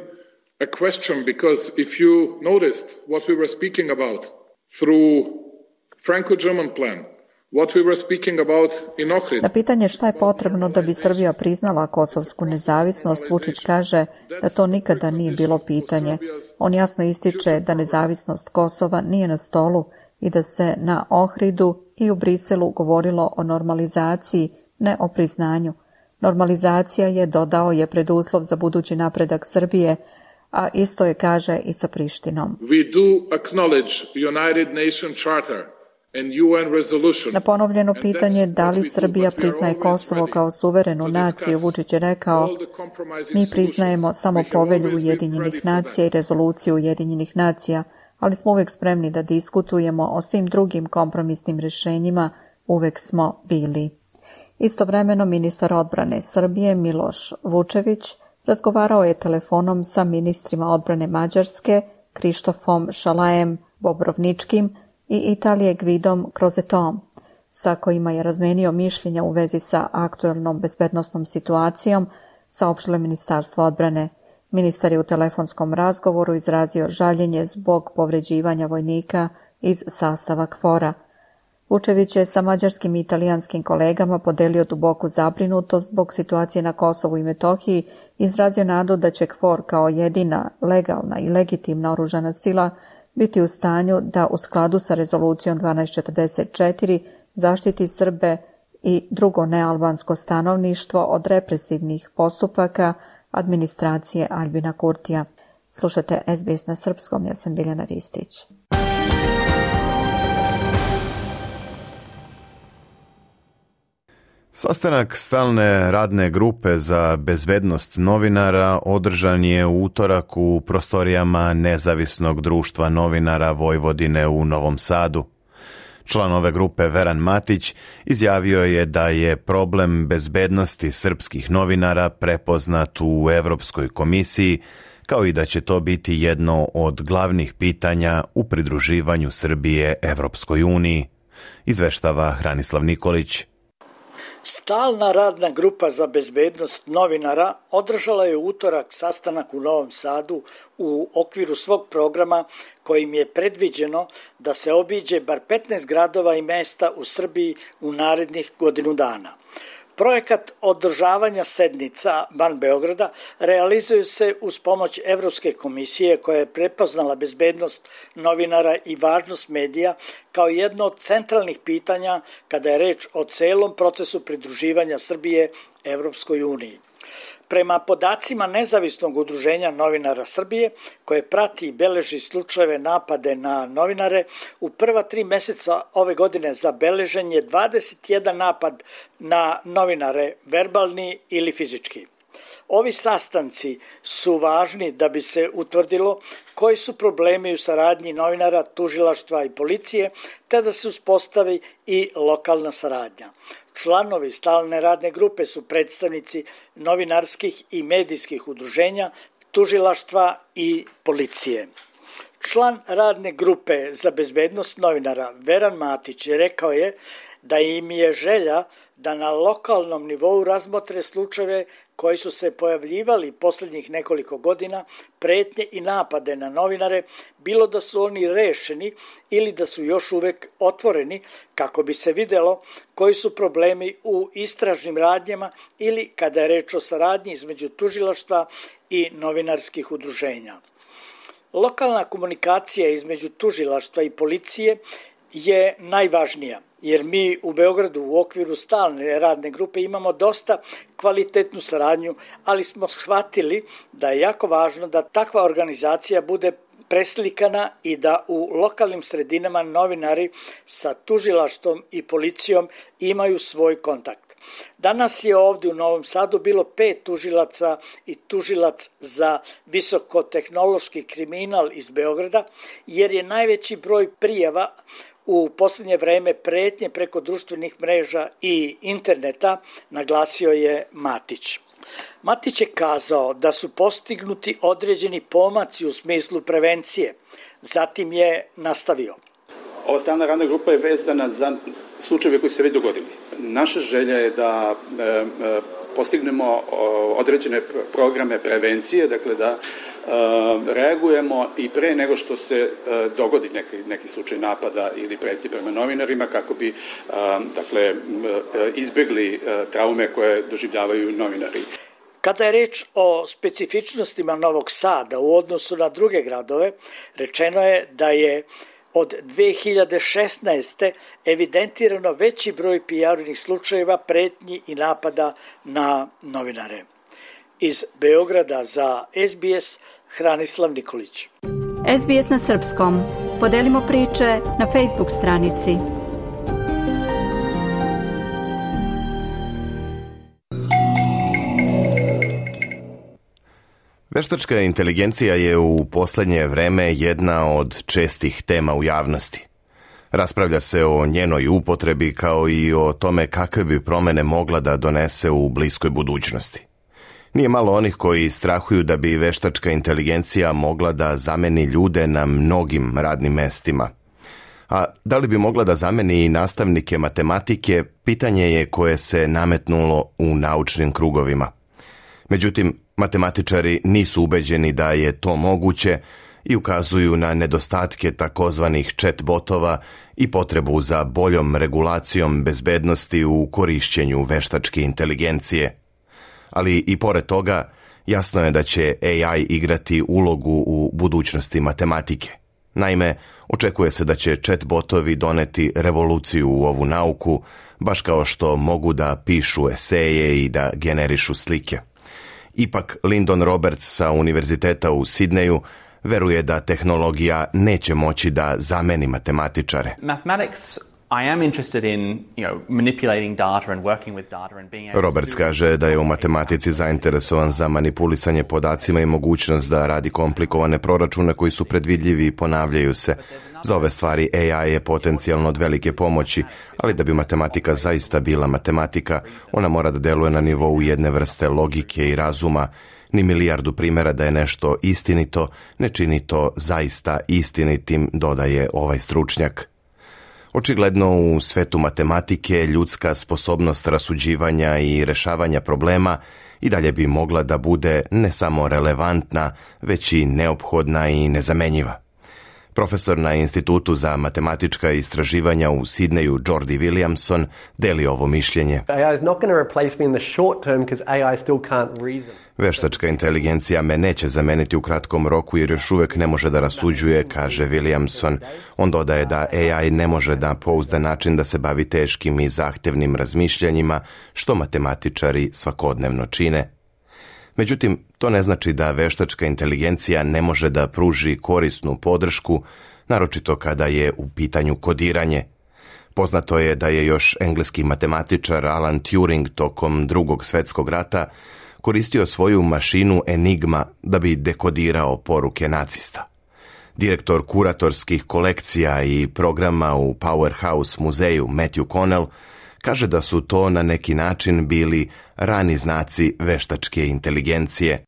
a question, because if you noticed what we were speaking about through Franco-German plan, what we were speaking about in Ohrid. Na pitanje šta je potrebno da bi Srbija priznala kosovsku nezavisnost, Vučić kaže da to nikada nije bilo pitanje. On jasno ističe da nezavisnost Kosova nije na stolu i da se na Ohridu i u Briselu govorilo o normalizaciji, ne o priznanju. Normalizacija je, dodao je, preduslov za budući napredak Srbije, a isto je kaže i sa Prištinom. We do acknowledge United Nations Charter Na ponovljeno pitanje da li Srbija priznaje Kosovo kao suverenu naciju, Vučić je rekao: mi priznajemo samo povelju Ujedinjenih nacija i rezoluciju Ujedinjenih nacija, ali smo uvek spremni da diskutujemo o svim drugim kompromisnim rješenjima, uvek smo bili. Istovremeno ministar odbrane Srbije Miloš Vučević razgovarao je telefonom sa ministrima odbrane Mađarske Krištofom Šalajem Bobrovničkim i Italije Gvidom Krozetom, sa kojima je razmenio mišljenja u vezi sa aktuelnom bezbednosnom situacijom, saopštilo Ministarstvo odbrane. Ministar je u telefonskom razgovoru izrazio žaljenje zbog povređivanja vojnika iz sastava KFOR-a. Vučević je sa mađarskim i italijanskim kolegama podelio duboku zabrinutost zbog situacije na Kosovu i Metohiji, izrazio nadu da će KFOR kao jedina legalna i legitimna oružana sila biti u stanju da u skladu sa rezolucijom dvanaest četrdeset četiri zaštiti Srbe i drugo nealbansko stanovništvo od represivnih postupaka administracije Aljbina Kurtija. Slušate S B S na srpskom, ja sam Biljana Ristić. Sastanak stalne radne grupe za bezbednost novinara održan je u utorak u prostorijama Nezavisnog društva novinara Vojvodine u Novom Sadu. Član ove grupe Veran Matić izjavio je da je problem bezbednosti srpskih novinara prepoznat u Evropskoj komisiji, kao i da će to biti jedno od glavnih pitanja u pridruživanju Srbije Evropskoj uniji, izveštava Hranislav Nikolić. Stalna radna grupa za bezbednost novinara održala je u utorak sastanak u Novom Sadu u okviru svog programa kojim je predviđeno da se obiđe bar petnaest gradova i mesta u Srbiji u narednih godinu dana. Projekat održavanja sednica van Beograda realizuje se uz pomoć Evropske komisije koja je prepoznala bezbednost novinara i važnost medija kao jedno od centralnih pitanja kada je reč o celom procesu pridruživanja Srbije Evropskoj uniji. Prema podacima Nezavisnog udruženja novinara Srbije, koje prati i beleži slučajeve napade na novinare, u prva tri meseca ove godine zabeležen je dvadeset jedan napad na novinare, verbalni ili fizički. Ovi sastanci su važni da bi se utvrdilo koji su problemi u saradnji novinara, tužilaštva i policije, te da se uspostavi i lokalna saradnja. Članovi stalne radne grupe su predstavnici novinarskih i medijskih udruženja, tužilaštva i policije. Član radne grupe za bezbednost novinara Veran Matić rekao je da im je želja da na lokalnom nivou razmotre slučajeve koji su se pojavljivali posljednjih nekoliko godina, pretnje i napade na novinare, bilo da su oni rešeni ili da su još uvek otvoreni, kako bi se videlo koji su problemi u istražnim radnjama ili kada je reč o saradnji između tužilaštva i novinarskih udruženja. Lokalna komunikacija između tužilaštva i policije je najvažnija, jer mi u Beogradu u okviru stalne radne grupe imamo dosta kvalitetnu saradnju, ali smo shvatili da je jako važno da takva organizacija bude preslikana i da u lokalnim sredinama novinari sa tužilaštvom i policijom imaju svoj kontakt. Danas je ovdje u Novom Sadu bilo pet tužilaca i tužilac za visokotehnološki kriminal iz Beograda, jer je najveći broj prijava u posljednje vreme pretnje preko društvenih mreža i interneta, naglasio je Matić. Matić je kazao da su postignuti određeni pomaci u smislu prevencije. Zatim je nastavio. Ova stalna radna grupa je vezana za slučajeve koji se već dogodili. Naša želja je da e, e, postignemo određene programe prevencije, dakle da e, reagujemo i pre nego što se e, dogodi neki, neki slučaj napada ili pretnje prema novinarima, kako bi e, dakle, e, izbjegli e, traume koje doživljavaju novinari. Kada je reč o specifičnostima Novog Sada u odnosu na druge gradove, rečeno je da je od dve hiljade šesnaeste. evidentirano veći broj prijavljenih slučajeva pretnji i napada na novinare. Iz Beograda za S B S, Hranislav Nikolić. S B S na srpskom. Podelimo priče na Facebook stranici. Veštačka inteligencija je u posljednje vreme jedna od čestih tema u javnosti. Raspravlja se o njenoj upotrebi kao i o tome kakve bi promjene mogla da donese u bliskoj budućnosti. Nije malo onih koji strahuju da bi veštačka inteligencija mogla da zameni ljude na mnogim radnim mestima. A da li bi mogla da zameni i nastavnike matematike, pitanje je koje se nametnulo u naučnim krugovima. Međutim, matematičari nisu ubeđeni da je to moguće i ukazuju na nedostatke takozvanih chat-botova i potrebu za boljom regulacijom bezbednosti u korišćenju veštačke inteligencije. Ali i pored toga, jasno je da će A I igrati ulogu u budućnosti matematike. Naime, očekuje se da će chat-botovi doneti revoluciju u ovu nauku, baš kao što mogu da pišu eseje i da generišu slike. Ipak, Lyndon Roberts sa Univerziteta u Sidneju veruje da tehnologija neće moći da zameni matematičare. Mathematics, I am interested in, you know, manipulating data and working with data and being able Roberts kaže da je u matematici zainteresovan za manipulisanje podacima i mogućnost da radi komplikovane proračune koji su predvidljivi i ponavljaju se. Za ove stvari A I je potencijalno od velike pomoći, ali da bi matematika zaista bila matematika, ona mora da deluje na nivou jedne vrste logike i razuma. Ni milijardu primjera da je nešto istinito, ne čini to zaista istinitim, dodaje ovaj stručnjak. Očigledno u svetu matematike ljudska sposobnost rasuđivanja i rešavanja problema i dalje bi mogla da bude ne samo relevantna, već i neophodna i nezamenjiva. Profesor na Institutu za matematička istraživanja u Sidneju, Jordi Williamson, deli ovo mišljenje. Veštačka inteligencija me neće zameniti u kratkom roku jer još uvijek ne može da rasuđuje, kaže Williamson. On dodaje da A I ne može na pouzdan način da se bavi teškim i zahtevnim razmišljanjima, što matematičari svakodnevno čine. Međutim, to ne znači da veštačka inteligencija ne može da pruži korisnu podršku, naročito kada je u pitanju kodiranje. Poznato je da je još engleski matematičar Alan Turing tokom Drugog svjetskog rata koristio svoju mašinu Enigma da bi dekodirao poruke nacista. Direktor kuratorskih kolekcija i programa u Powerhouse muzeju Matthew Connell kaže da su to na neki način bili rani znaci veštačke inteligencije.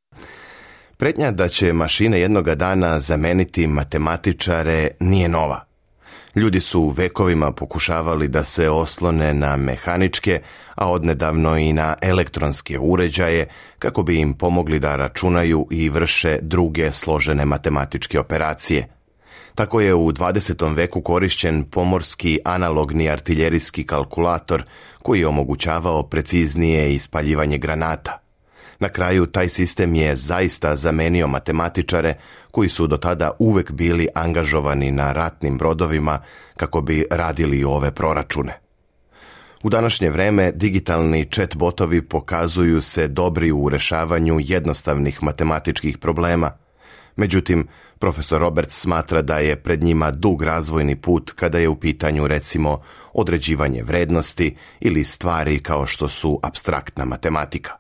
Pretnja da će mašine jednoga dana zameniti matematičare nije nova. Ljudi su vekovima pokušavali da se oslone na mehaničke, a odnedavno i na elektronske uređaje kako bi im pomogli da računaju i vrše druge složene matematičke operacije. Tako je u dvadesetom veku korišćen pomorski analogni artiljerijski kalkulator koji je omogućavao preciznije ispaljivanje granata. Na kraju taj sistem je zaista zamenio matematičare koji su do tada uvek bili angažovani na ratnim brodovima kako bi radili ove proračune. U današnje vreme digitalni chat-botovi pokazuju se dobri u rešavanju jednostavnih matematičkih problema. Međutim, profesor Roberts smatra da je pred njima dug razvojni put kada je u pitanju recimo određivanje vrednosti ili stvari kao što su apstraktna matematika.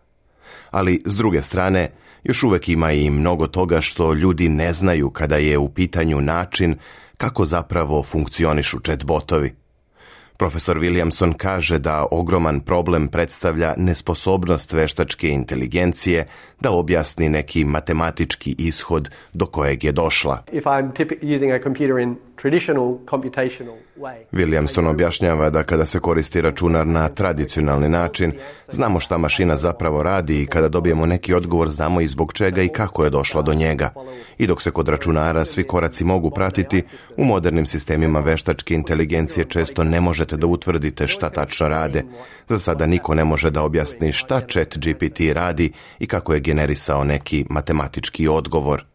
Ali, s druge strane, još uvek ima i mnogo toga što ljudi ne znaju kada je u pitanju način kako zapravo funkcionišu chat-botovi. Profesor Williamson kaže da ogroman problem predstavlja nesposobnost veštačke inteligencije da objasni neki matematički ishod do kojeg je došla. Williamson objašnjava da kada se koristi računar na tradicionalni način, znamo šta mašina zapravo radi i kada dobijemo neki odgovor znamo i zbog čega i kako je došla do njega. I dok se kod računara svi koraci mogu pratiti, u modernim sistemima veštačke inteligencije često ne možete da utvrdite šta tačno rade. Za sada niko ne može da objasni šta Chat G P T radi i kako je generisao neki matematički odgovor.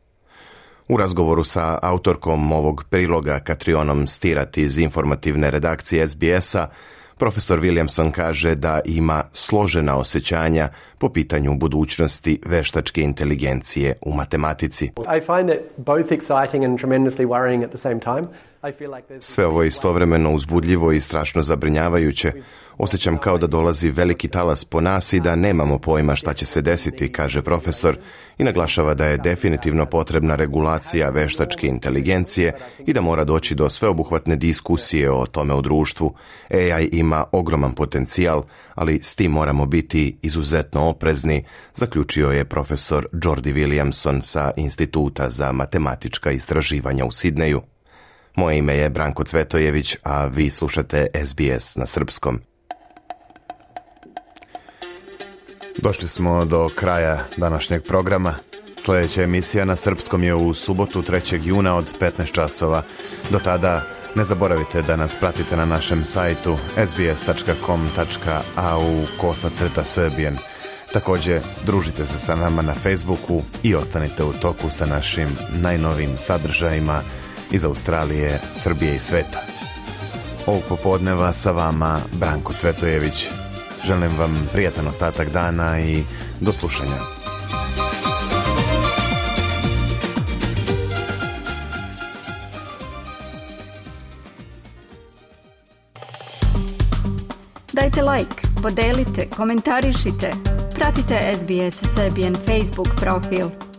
U razgovoru sa autorkom ovog priloga Katrionom Stirat iz informativne redakcije S B S-a, profesor Williamson kaže da ima složena osjećanja po pitanju budućnosti veštačke inteligencije u matematici. I find it both exciting and tremendously worrying at the same time. Sve ovo je istovremeno uzbudljivo i strašno zabrinjavajuće. Osjećam kao da dolazi veliki talas po nas i da nemamo pojma šta će se desiti, kaže profesor, i naglašava da je definitivno potrebna regulacija veštačke inteligencije i da mora doći do sveobuhvatne diskusije o tome u društvu. A I ima ogroman potencijal, ali s tim moramo biti izuzetno oprezni, zaključio je profesor Jordi Williamson sa Instituta za matematička istraživanja u Sidneju. Moje ime je Branko Cvetojević, a vi slušate S B S na srpskom. Došli smo do kraja današnjeg programa. Sljedeća emisija na srpskom je u subotu trećeg juna od petnaest časova. Do tada ne zaboravite da nas pratite na našem sajtu s b s tačka com tačka a u kosacrta srbijen. Također, družite se sa nama na Facebooku i ostanite u toku sa našim najnovijim sadržajima iz Australije, Srbije i sveta. Ovog popodneva sa vama Branko Cvetojević. Želim vam prijatan ostatak dana i do slušanja. Dajte like, podelite, komentarišite. Pratite S B S Serbian Facebook profil.